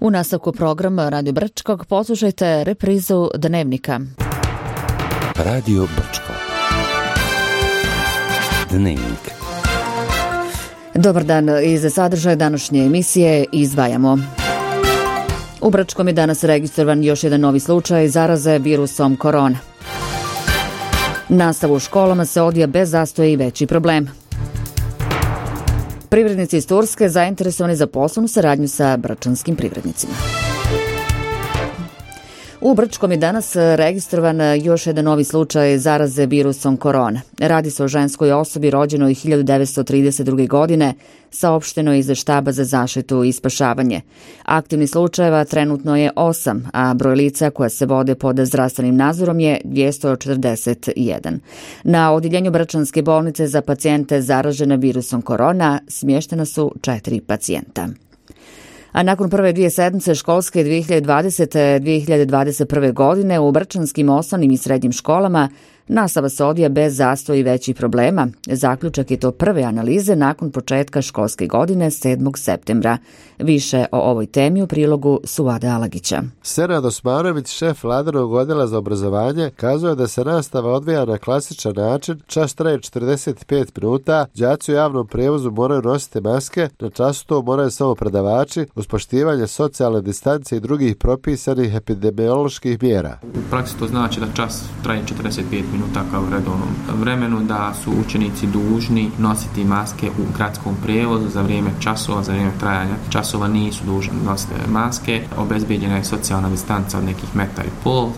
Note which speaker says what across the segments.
Speaker 1: U nastavku programa Radio Brčkog poslušajte reprizu Dnevnika.
Speaker 2: Radio Brčko. Dnevnik.
Speaker 1: Dobar dan, iz sadržaja današnje emisije izdvajamo. U Brčkom je danas registrovan još jedan novi slučaj zaraze virusom korona. Nastava u školama se odvija bez zastoja i veći problem. Privrednici iz Turske zainteresovani za poslovnu saradnju sa brčanskim privrednicima. U Brčkom je danas registrovan još jedan novi slučaj zaraze virusom korona. Radi se o ženskoj osobi rođenoj 1932. godine, saopšteno iz štaba za zaštitu i spašavanje. Aktivnih slučajeva trenutno je 8, a broj lica koja se vode pod zdravstvenim nadzorom je 241. Na odjeljenju Brčanske bolnice za pacijente zaražene virusom korona smještena su 4 pacijenta. A nakon prve dvije sedmice školske 2020-2021. godine u brčanskim osnovnim i srednjim školama nastava se odvija bez zastoja i većih problema. Zaključak je to prve analize nakon početka školske godine 7. septembra. Više o ovoj temi u prilogu Suvade Alagića.
Speaker 3: Senad Osmanović, šef Vladinog odjela za obrazovanje, kazuje da se nastava odvija na klasičan način, čas traje 45 minuta, đaci u javnom prijevozu moraju nositi maske, na času to moraju samo predavači, uz poštivanje socijalne distance i drugih propisanih epidemioloških mjera.
Speaker 4: U praksi to znači da čas traje 45 minuta kao u redovnom vremenu, da su učenici dužni nositi maske u gradskom prijevozu za vrijeme časova, za vrijeme trajanja časova nisu dužni nositi maske. Obezbijeđena je socijalna distanca od nekih 1,5 metra,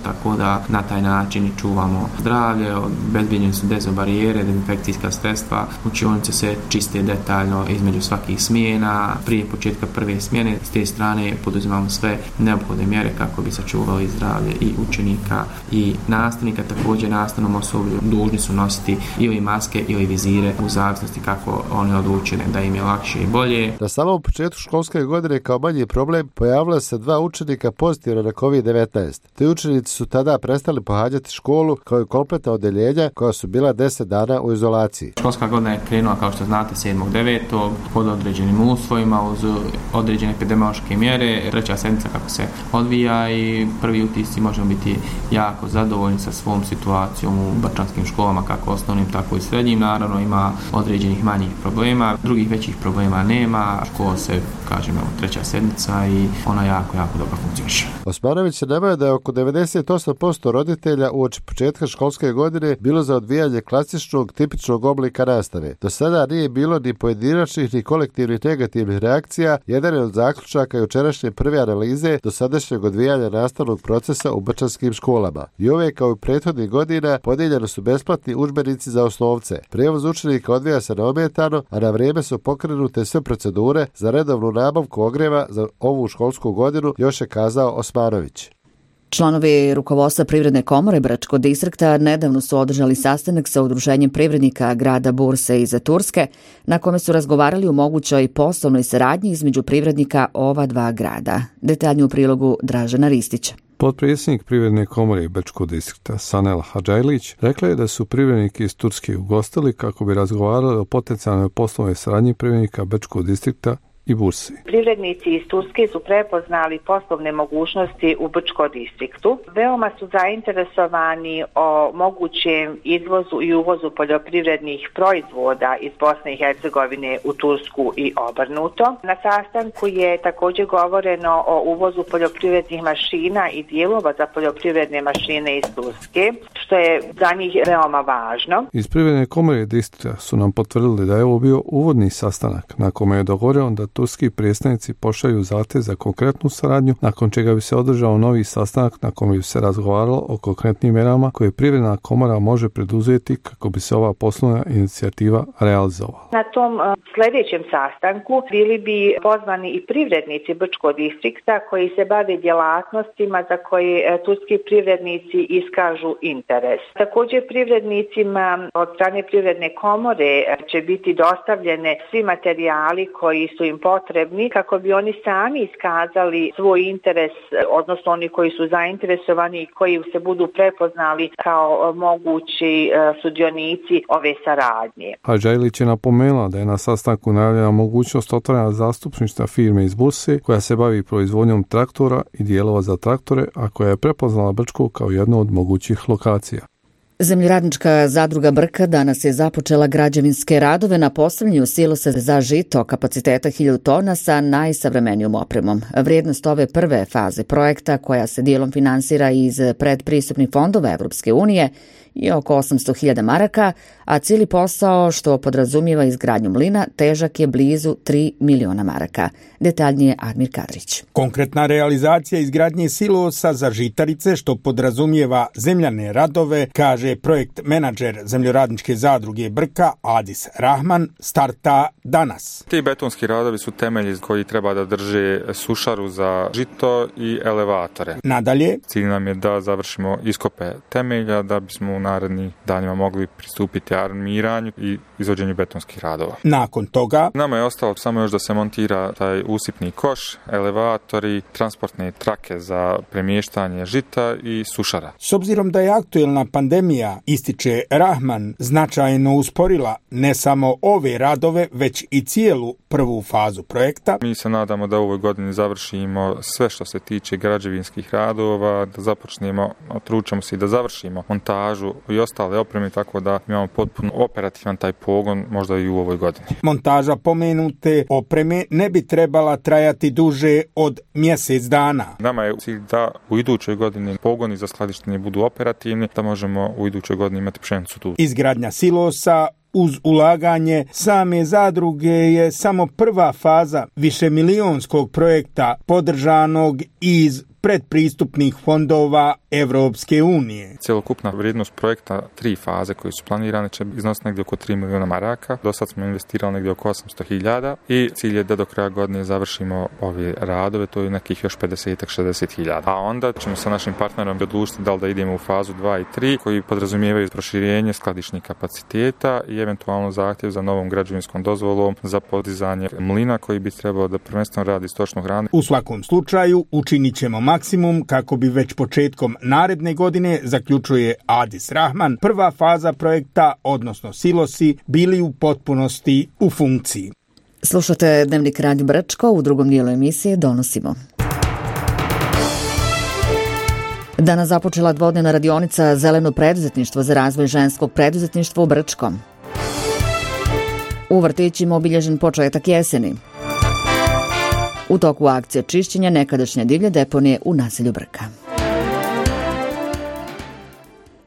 Speaker 4: tako da na taj način čuvamo zdravlje, obezbijeđene su dezobarijere, dezinfekcijska sredstva, učionice se čiste detaljno između svakih smjena, prije početka prve smjene. S te strane poduzimamo sve neophodne mjere kako bi sačuvali zdravlje i učenika i nastavnika. Također nastavnom osoblju dužni su nositi ili maske ili vizire u zavisnosti kako oni odluče da im je lakše i bolje.
Speaker 3: Na samom početku školske godine kao manji problem pojavila se 2 učenika pozitivna na COVID-19. Ti učenici su tada prestali pohađati školu kao i kompletna odjeljenja koja su bila 10 dana u izolaciji.
Speaker 4: Školska godina je krenula, kao što znate, 7.9. pod određenim uslovima uz određene epidemiološke mjere. Treća sedmica kako se odvija i prvi utisci možemo biti jako zadovoljni sa svom situacijom u brčanskim školama, kako osnovnim, tako i srednjim. Naravno ima određenih manjih problema, drugih većih problema nema. Škola se, kažemo, treća sedmica i ona jako dobro funkcioniše.
Speaker 3: Osmanović je naveo da je oko 98% roditelja uoči početka školske godine bilo za odvijanje klasičnog, tipičnog oblika nastave. Do sada nije bilo ni pojedinačnih ni kolektivnih negativnih reakcija. Jedan je od zaključaka jučerašnje prve analize do sadašnjeg odvijanja nastavnog procesa u brčanskim školama. I ove kao i prethodnih godina podijeljeni su besplatni udžbenici za osnovce. Prijevoz učenika odvija se neometano, a na vrijeme su pokrenute sve procedure za redovnu nabavku ogrijeva za ovu školsku godinu, još je kazao Osmanović.
Speaker 1: Članovi rukovodstva Privredne komore Brčkog distrikta nedavno su održali sastanak sa udruženjem privrednika grada Burse iz Turske, na kome su razgovarali o mogućoj poslovnoj saradnji između privrednika ova 2 grada. Detaljnije u prilogu Dražena Ristića.
Speaker 5: Potpredsjednik Privredne komore Brčkog distrikta Sanel Hadžajlić rekla je da su privredniki iz Turske ugostili kako bi razgovarali o potencijalnoj poslovnoj saradnji privrednika Brčkog distrikta i Bursi.
Speaker 6: Privrednici iz Turske su prepoznali poslovne mogućnosti u Brčkom distriktu. Veoma su zainteresovani o mogućem izvozu i uvozu poljoprivrednih proizvoda iz Bosne i Hercegovine u Tursku i obrnuto. Na sastanku je također govoreno o uvozu poljoprivrednih mašina i dijelova za poljoprivredne mašine iz Turske, što je za njih veoma važno.
Speaker 5: Iz Privredne komore distrikta su nam potvrdili da je ovo bio uvodni sastanak na kome je dogovoreno da turski predstavnici pošalju zahtjev za konkretnu saradnju, nakon čega bi se održao novi sastanak na kojem bi se razgovaralo o konkretnim mjerama koje Privredna komora može preduzeti kako bi se ova poslovna inicijativa realizovala.
Speaker 6: Na tom sljedećem sastanku bili bi pozvani i privrednici Brčkog distrikta koji se bave djelatnostima za koje turski privrednici iskažu interes. Također privrednicima od strane Privredne komore će biti dostavljene svi materijali koji su im potrebni kako bi oni sami iskazali svoj interes, odnosno oni koji su zainteresovani i koji se budu prepoznali kao mogući sudionici ove saradnje.
Speaker 5: Hadža Ilić je napomenula da je na sastanku najavljena mogućnost otvaranja zastupništva firme iz Burse koja se bavi proizvodnjom traktora i dijelova za traktore, a koja je prepoznala Brčko kao jednu od mogućih lokacija.
Speaker 1: Zemljoradnička zadruga Brka danas je započela građevinske radove na postavljanju silosa za žito kapaciteta 1000 tona sa najsavremenijom opremom. Vrijednost ove prve faze projekta, koja se dijelom finansira iz predpristupnih fondova Evropske unije, je oko 800.000 maraka, a cijeli posao, što podrazumijeva izgradnju mlina, težak je blizu 3 miliona maraka. Detaljnije Admir Kadrić.
Speaker 7: Konkretna realizacija izgradnje silosa za žitarice, što podrazumijeva zemljane radove, kaže projekt menadžer Zemljoradničke zadruge Brka Adis Rahman, starta danas.
Speaker 8: Ti betonski radovi su temelji koji treba da drže sušaru za žito i elevatore.
Speaker 7: Nadalje,
Speaker 8: cilj nam je da završimo iskope temelja da bismo u narednih danima mogli pristupiti armiranju i izvođenju betonskih radova.
Speaker 7: Nakon toga
Speaker 8: nama je ostalo samo još da se montira taj usipni koš, elevatori, transportne trake za premještanje žita i sušara.
Speaker 7: S obzirom da je aktuelna pandemija, ističe Rahman, značajno usporila ne samo ove radove, već i cijelu prvu fazu projekta.
Speaker 8: Mi se nadamo da u ovoj godini završimo sve što se tiče građevinskih radova, da započnemo, tručemo se i da završimo montažu i ostale opreme, tako da imamo potpuno operativan taj pogon možda i u ovoj godini.
Speaker 7: Montaža pomenute opreme ne bi trebala trajati duže od mjesec dana.
Speaker 8: Nama je cilj da u idućoj godini pogoni za skladištenje budu operativni, da možemo u idućoj godini imati pšenicu tu.
Speaker 7: Izgradnja silosa uz ulaganje same zadruge je samo prva faza višemilijonskog projekta podržanog iz predpristupnih fondova Evropske unije.
Speaker 8: Cjelokupna vrijednost projekta 3 faze koje su planirane će iznositi negdje oko 3 miliona maraka. Do sad smo investirali negdje oko 800.000 i cilj je da do kraja godine završimo ove radove, to je nekih još 50-60.000. A onda ćemo sa našim partnerom odlučiti da li da idemo u fazu 2 i 3 koji podrazumijevaju proširenje skladišnih kapaciteta i eventualno zahtjev za novom građevinskom dozvolom za podizanje mlina koji bi trebao da prvenstveno radi stočnu hranu.
Speaker 7: U svakom slučaju učinit ćemo maksimum kako bi već početkom naredne godine, zaključuje Adis Rahman, prva faza projekta, odnosno silosi, bili u potpunosti u funkciji.
Speaker 1: Slušate Dnevnik Radio Brčko, u drugom dijelu emisije donosimo. Danas započela dvodnevna radionica Zeleno preduzetništvo za razvoj ženskog preduzetništva u Brčkom. U vrtićima obilježen početak jeseni. U toku akcije čišćenja nekadašnje divlje deponije u naselju Brka.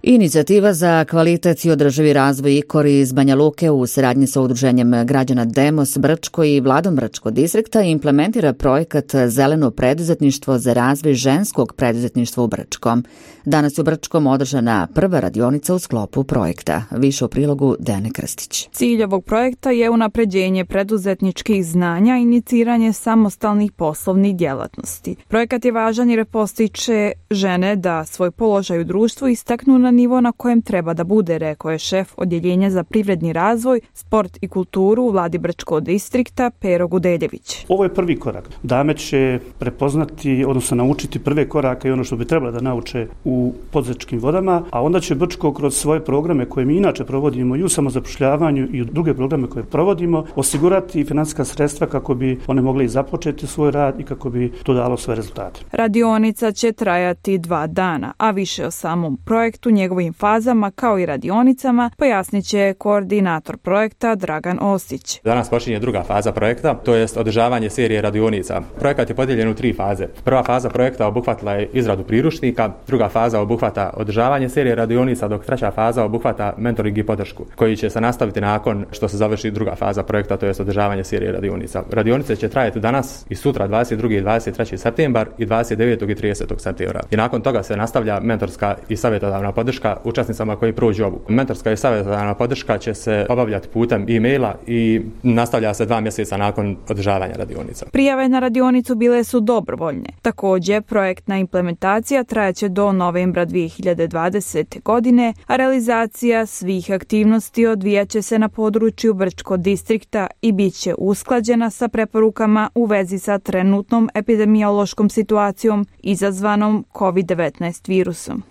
Speaker 1: Inicijativa za kvalitet i održivi razvoj IKOR iz Banja Luke u saradnji sa udruženjem građana Demos Brčko i Vladom Brčko distrikta implementira projekat Zeleno preduzetništvo za razvoj ženskog preduzetništva u Brčkom. Danas je u Brčkom održana prva radionica u sklopu projekta. Više u prilogu Dejane Krstić.
Speaker 9: Cilj ovog projekta je unapređenje preduzetničkih znanja i iniciranje samostalnih poslovnih djelatnosti. Projekat je važan jer postiče žene da svoj položaj u društvu istaknu na nivo na kojem treba da bude, rekao je šef Odjeljenja za privredni razvoj, sport i kulturu u Vladi Brčkog distrikta Pero Gudeljević.
Speaker 10: Ovo je prvi korak. Dame će prepoznati, odnosno naučiti prve korake i ono što bi trebalo da nauče u poduzetničkim vodama, a onda će Brčko kroz svoje programe koje mi inače provodimo i u samozapošljavanju i u druge programe koje provodimo osigurati financijska sredstva kako bi one mogli započeti svoj rad i kako bi to dalo svoje rezultate.
Speaker 9: Radionica će trajati 2 dana, a više o samom projektu, njegovim fazama kao i radionicama pojasnit će koordinator projekta Dragan Ostić.
Speaker 11: Danas počinje druga faza projekta, to jest održavanje serije radionica. Projekat je podijeljen u 3 faze. Prva faza projekta obuhvatila je izradu priručnika, druga faza obuhvata održavanje serije radionica, dok treća faza obuhvata mentoring i podršku, koji će se nastaviti nakon što se završi druga faza projekta, to jest održavanje serije radionica. Radionice će trajati danas i sutra 22. i 23. septembar i 29. i 30. septembra. I nakon toga se nastavlja mentorska i savjetodavna podrška podrška učesnicama koji prođu obuku. Mentorska i savjetodavna podrška će se obavljati putem e-maila i nastavlja se 2 mjeseca nakon održavanja radionica.
Speaker 9: Prijave na radionicu bile su dobrovoljne. Također, projektna implementacija trajaće do novembra 2020. godine, a realizacija svih aktivnosti odvijaće se na području Brčko distrikta i bit će usklađena sa preporukama u vezi sa trenutnom epidemiološkom situacijom izazvanom COVID-19 virusom.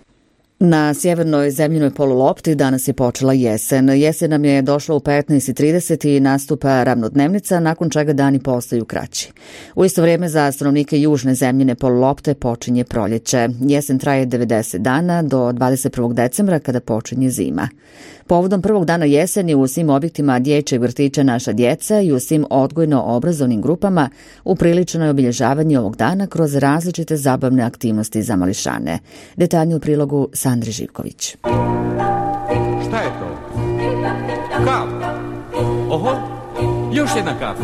Speaker 1: Na sjevernoj zemljinoj polulopti danas je počela jesen. Jesen nam je došla u 15:30 i nastupa ravnodnevnica, nakon čega dani postaju kraći. U isto vrijeme za stanovnike južne zemljine polulopte počinje proljeće. Jesen traje 90 dana do 21. decembra kada počinje zima. Povodom prvog dana jeseni u svim objektima dječjeg vrtića Naša djeca i u svim odgojno-obrazovnim grupama upriličeno je obilježavanje ovog dana kroz različite zabavne aktivnosti za mališane. Detaljnije u prilogu Sandri Živković.
Speaker 12: Šta je to? Kav. Oho, još jedna kav.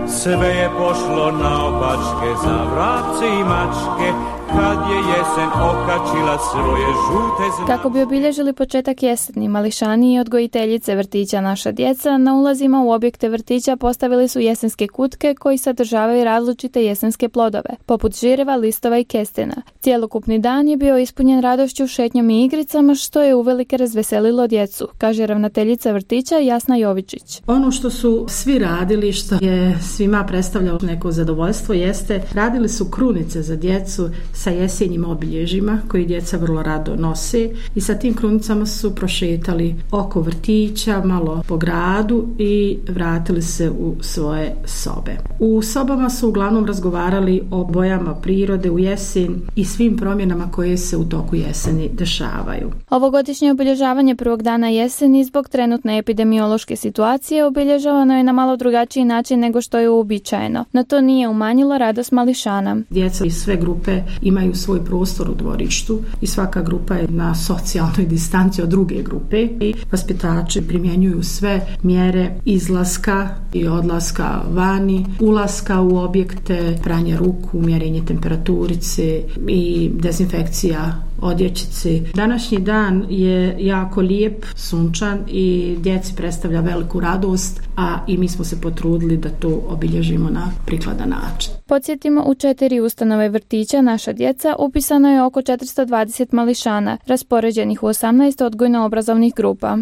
Speaker 12: Sve je pošlo naopačke za vrapce i mačke, kad je jesen okačila svoje žute znake.
Speaker 13: Kako bi obilježili početak jeseni, mališani i odgojiteljice vrtića Naša djeca na ulazima u objekte vrtića postavili su jesenske kutke koji sadržavaju različite jesenske plodove, poput žireva, listova i kestena. Cjelokupni dan je bio ispunjen radošću, šetnjom i igricama, što je uvelike razveselilo djecu, kaže ravnateljica vrtića Jasna Jovičić.
Speaker 14: Ono što su svi radili, što je svima predstavljalo neko zadovoljstvo, jeste radili su krunice za djecu sa jesenjim obilježjima koji djeca vrlo rado nose i sa tim krunicama su prošetali oko vrtića, malo po gradu i vratili se u svoje sobe. U sobama su uglavnom razgovarali o bojama prirode u jesen i svim promjenama koje se u toku jeseni dešavaju.
Speaker 13: Ovogodišnje obilježavanje prvog dana jeseni zbog trenutne epidemiološke situacije obilježavano je na malo drugačiji način nego što je uobičajeno, no to nije umanjilo radost mališana.
Speaker 14: Djeca iz sve grupe imaju svoj prostor u dvorištu i svaka grupa je na socijalnoj distanci od druge grupe i vaspitači primjenjuju sve mjere izlaska i odlaska vani, ulaska u objekte, pranje ruku, mjerenje temperaturice i dezinfekcija odjećice. Današnji dan je jako lijep, sunčan i djeci predstavlja veliku radost, a i mi smo se potrudili da to obilježimo na prikladan način.
Speaker 13: Podsjetimo, u 4 ustanove vrtića Naša djeca upisano je oko 420 mališana, raspoređenih u 18 odgojno-obrazovnih grupa.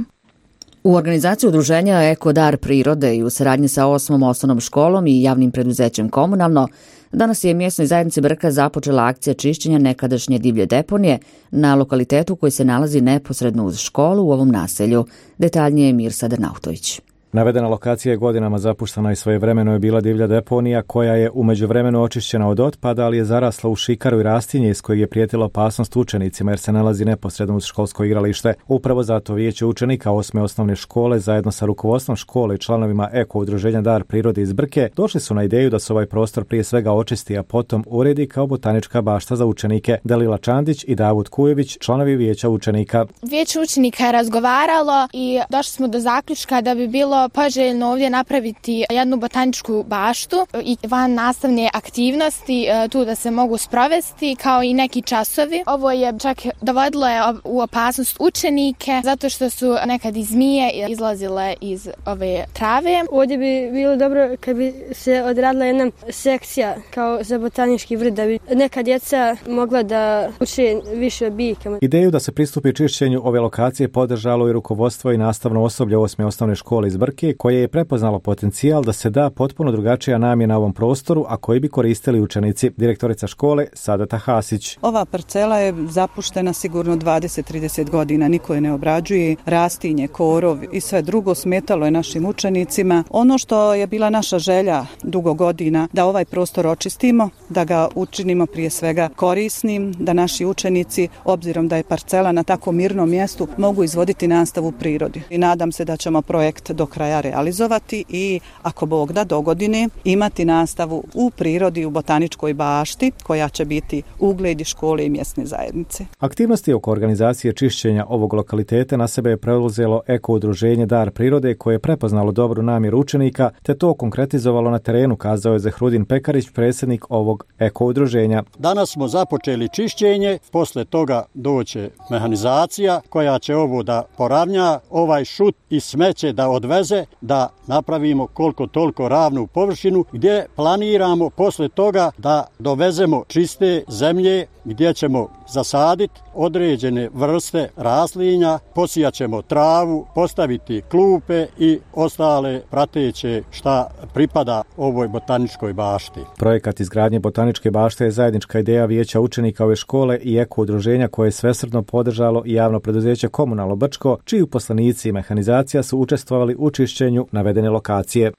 Speaker 1: U organizaciji udruženja Eko dar prirode i u saradnji sa 8. osnovnom školom i javnim preduzećem Komunalno, danas je mjesnoj zajednici Brka započela akcija čišćenja nekadašnje divlje deponije na lokalitetu koji se nalazi neposredno uz školu u ovom naselju. Detaljnije je Mirsa Dernautović.
Speaker 15: Navedena lokacija je godinama zapuštena i svojevremeno je bila divlja deponija koja je u međuvremenu očišćena od otpada, ali je zarasla u šikaru i rastinje iz kojeg je prijetila opasnost učenicima jer se nalazi neposredno uz školsko igralište. Upravo zato vijeće učenika 8. osnovne škole zajedno sa rukovodstvom škole i članovima Eko udruženja Dar prirode iz Brke došli su na ideju da se ovaj prostor prije svega očisti, a potom uredi kao botanička bašta za učenike. Dalila Čandić i Davud Kujević, članovi vijeća učenika.
Speaker 16: Vijeće učenika je razgovaralo i došli smo do zaključka da bi bilo poželjno ovdje napraviti jednu botaničku baštu i van nastavne aktivnosti tu da se mogu sprovesti kao i neki časovi. Ovo je čak dovodilo u opasnost učenike zato što su nekad i zmije izlazile iz ove trave.
Speaker 17: Ovdje bi bilo dobro kad bi se odradila jedna sekcija kao za botanički vrt da bi neka djeca mogla da uče više o biljkama.
Speaker 15: Ideju da se pristupi čišćenju ove lokacije podržalo i rukovodstvo i nastavno osoblje 8. osnovne škole iz Brke koje je prepoznalo potencijal da se da potpuno drugačija namjena ovom prostoru, a koji bi koristili učenici. Direktorica škole Sadata Hasić.
Speaker 18: Ova parcela je zapuštena sigurno 20-30 godina, niko je ne obrađuje, rastinje, korov i sve drugo smetalo je našim učenicima. Ono što je bila naša želja dugo godina, da ovaj prostor očistimo, da ga učinimo prije svega korisnim, da naši učenici, obzirom da je parcela na tako mirnom mjestu, mogu izvoditi nastavu u prirodi. I nadam se da ćemo projekt do kraja realizovati i ako Bog da dogodine imati nastavu u prirodi u botaničkoj bašti koja će biti ugled škole i mjesne zajednice.
Speaker 15: Aktivnosti oko organizacije čišćenja ovog lokaliteta na sebe je preuzelo eko udruženje Dar prirode koje je prepoznalo dobru namjeru učenika te to konkretizovalo na terenu, kazao je Zehrudin Pekarić, predsjednik ovog eko udruženja.
Speaker 19: Danas smo započeli čišćenje, posle toga doće mehanizacija koja će ovo da poravnja, ovaj šut i smeće da odveze, da napravimo koliko toliko ravnu površinu gdje planiramo posle toga da dovezemo čiste zemlje gdje ćemo zasaditi određene vrste raslinja, posijat ćemo travu, postaviti klupe i ostale prateće šta pripada ovoj botaničkoj bašti.
Speaker 15: Projekat izgradnje botaničke bašte je zajednička ideja vijeća učenika ove škole i eko udruženja koje je svesrdno podržalo i javno preduzeće Komunalno Brčko, čiji uposlenici i mehanizacija su učestvovali u čišćenju navedene lokacije.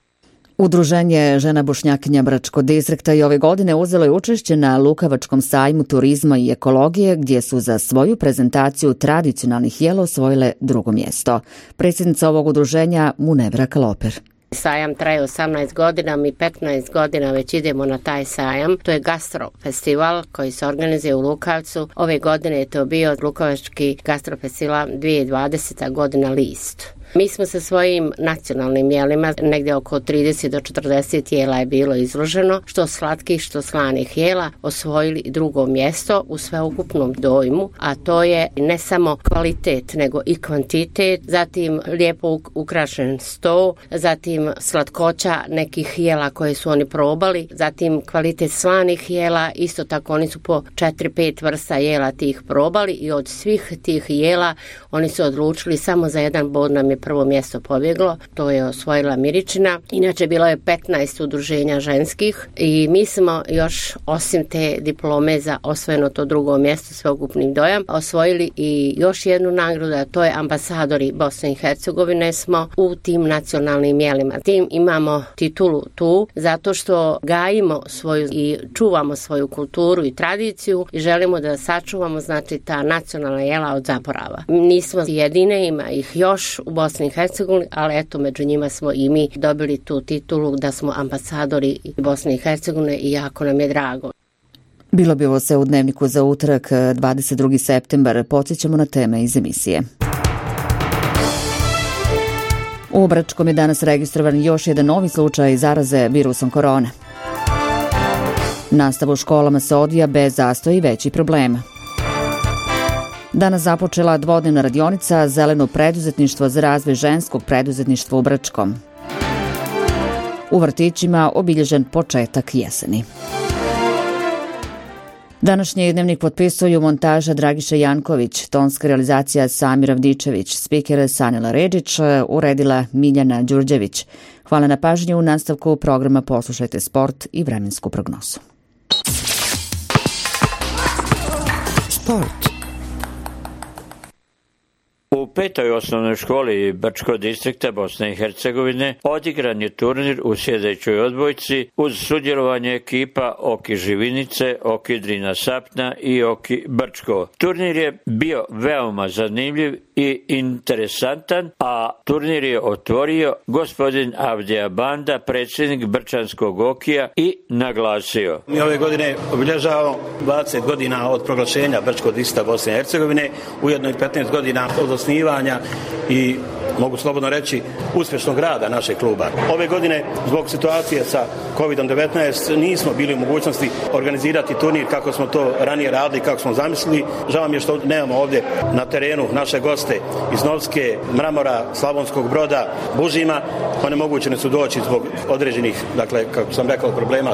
Speaker 1: Udruženje žena Bošnjakinja Brčko distrikta i ove godine uzelo je učešće na Lukavačkom sajmu turizma i ekologije, gdje su za svoju prezentaciju tradicionalnih jela osvojile drugo mjesto. Predsjednica ovog udruženja Munevra Kaloper.
Speaker 20: Sajam traje 18 godina, mi 15 godina već idemo na taj sajam. To je gastrofestival koji se organizuje u Lukavcu. Ove godine je to bio Lukavački gastrofestival 2020. godina List. Mi smo sa svojim nacionalnim jelima, negdje oko 30 do 40 jela je bilo izloženo, što slatkih, što slanih jela, osvojili drugo mjesto u sveukupnom dojmu, a to je ne samo kvalitet, nego i kvantitet, zatim lijepo ukrašen sto, zatim slatkoća nekih jela koje su oni probali, zatim kvalitet slanih jela, isto tako oni su po 4-5 vrsta jela tih probali i od svih tih jela oni su odlučili samo za jedan bod nam je prvo mjesto pobjeglo, to je osvojila Miričina. Inače bilo je 15 udruženja ženskih i mi smo još osim te diplome za osvojeno to drugo mjesto sveukupnim dojam osvojili i još jednu nagradu, a to je ambasadori Bosne i Hercegovine smo u tim nacionalnim jelima. Tim imamo titulu tu zato što gajimo svoju i čuvamo svoju kulturu i tradiciju i želimo da sačuvamo znači ta nacionalna jela od zaborava. Nismo jedine, ima ih još u Bosni i Hercegovini, ali eto među njima smo i mi dobili tu titulu da smo ambasadori Bosne i Hercegovine i jako nam je drago.
Speaker 1: Bilo bi ovo sve u dnevniku za utorak 22. septembar. Podsjećamo na teme iz emisije. U Brčkom je danas registrovan još jedan novi slučaj zaraze virusom korone. Nastava u školama se odvija bez zastoja i većih problema. Danas započela dvodnevna radionica Zeleno preduzetništvo za razvoj ženskog preduzetništva u Brčkom. U vrtićima obilježen početak jeseni. Današnji dnevnik potpisuju montaža Dragiša Janković, tonska realizacija Samir Avdičević, spiker Sanila Redžić, uredila Miljana Đurđević. Hvala na pažnju. U nastavku programa poslušajte sport i vremensku prognozu.
Speaker 21: Sport. U 5. osnovnoj školi Brčko distrikta Bosne i Hercegovine odigran je turnir u sljedećoj odbojci uz sudjelovanje ekipa Oki Živinice, Oki Drina Sapna i Oki Brčko. Turnir je bio veoma zanimljiv i interesantan, a turnir je otvorio gospodin Avdija Banda, predsjednik Brčanskog Okija, i naglasio:
Speaker 22: Mi ove godine obilježavamo 20 godina od proglašenja Brčkog distrikta Bosne i Hercegovine, ujedno i 15 godina od osnivanja i mogu slobodno reći uspješnog rada našeg kluba. Ove godine zbog situacije sa COVID-19 nismo bili u mogućnosti organizirati turnir kako smo to ranije radili, kako smo zamislili. Žao mi je što nemamo ovdje na terenu naše goste iz Novske, Mramora, Slavonskog Broda, Bužima. Onemogućeni su doći zbog određenih, dakle, kako sam rekao, problema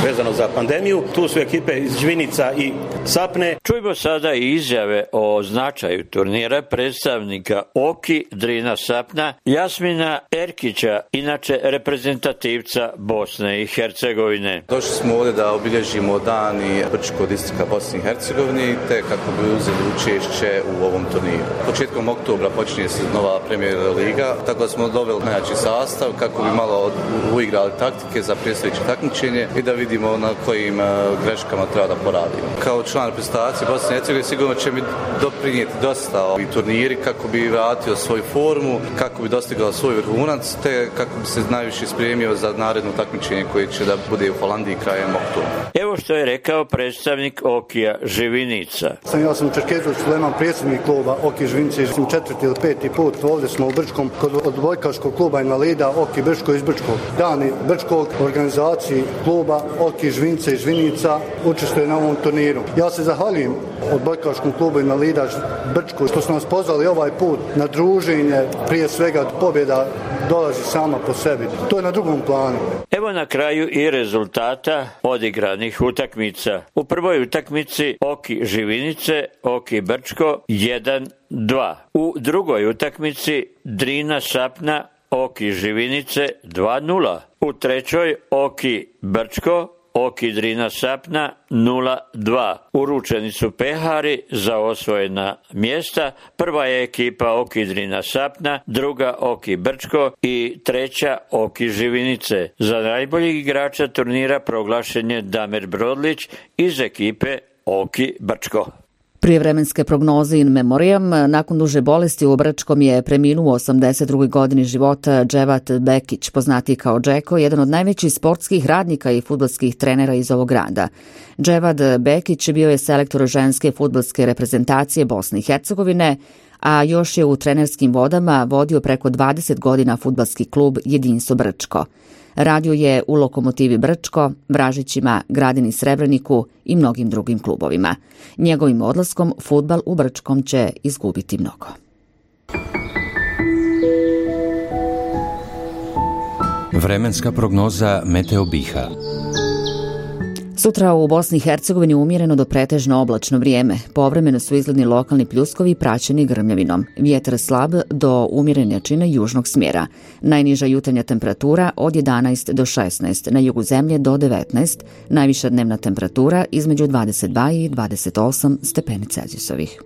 Speaker 22: vezano za pandemiju. Tu su ekipe iz Žvinica i Sapne.
Speaker 21: Čujmo sada i izjave o značaju turnira predstavnika Oki Drina Sapna, Jasmina Erkića, inače reprezentativca Bosne i Hercegovine.
Speaker 23: Došli smo ovdje da obilježimo dani Brčkog distrikta Bosne i Hercegovine te kako bi uzeli učešće u ovom turniru. Početkom oktobra počinje se nova Premier Liga, tako da smo doveli najjači sastav kako bi malo uigrali taktike za predstojeće takmičenje i da vidimo na kojim greškama treba da poradimo. Kao član reprezentacije Bosne i Hercegovine sigurno će mi doprinijeti dosta ovi turniri kako bi vratio svoju formu formu kako bi dostigao svoj vrhunac, te kako bi se najviše spremio za naredno takmičenje koje će da bude u Holandiji krajem oktobra.
Speaker 21: Evo što je rekao predstavnik Okija Živinica.
Speaker 2: Ja sam Čerkezović Suleman, predsjednik kluba Oki Živinice, 4. ili 5. put ovdje smo u Brčkom kod odbojkaškog kluba invalida Oki Brčko iz Brčkog. Dani Brčkog, organizaciji kluba Oki Živinice i Živinica učestvuje na ovom turniru. Ja se zahvaljujem odbojkaškom klubu invalida Brčko što su nas pozvali ovaj put na druženje, prije svega pobjeda dolazi sama po sebi. To je na drugom planu.
Speaker 21: Evo na kraju i rezultata odigranih utakmica. U prvoj utakmici Oki Živinice, Oki Brčko 1-2. U drugoj utakmici Drina Sapna, Oki Živinice 2-0. U trećoj Oki Brčko, Oki Drina Sapna 0-2. Uručeni su pehari za osvojena mjesta. Prva je ekipa Oki Drina Sapna, druga Oki Brčko i treća Oki Živinice. Za najboljeg igrača turnira proglašen je Damir Brodlić iz ekipe Oki Brčko.
Speaker 1: Prijevremenske prognoze in memoriam, nakon duže bolesti u Brčkom je preminuo u 82. godini života Dževat Bekić, poznati kao Džeko, jedan od najvećih sportskih radnika i fudbalskih trenera iz ovog grada. Dževat Bekić bio je selektor ženske fudbalske reprezentacije Bosne i Hercegovine, a još je u trenerskim vodama vodio preko 20 godina fudbalski klub Jedinstvo Brčko. Radio je u Lokomotivi Brčko, Vražićima, Gradini Srebreniku i mnogim drugim klubovima. Njegovim odlaskom fudbal u Brčkom će izgubiti mnogo.
Speaker 3: Vremenska prognoza Meteo Biha.
Speaker 1: Sutra u Bosni i Hercegovini umjereno do pretežno oblačno vrijeme. Povremeno su izgledni lokalni pljuskovi praćeni grmljavinom. Vjetar slab do umjerene jačine južnog smjera. Najniža jutarnja temperatura od 11 do 16, na jugu zemlje do 19, najviša dnevna temperatura između 22 i 28 stepeni Celzijusovih.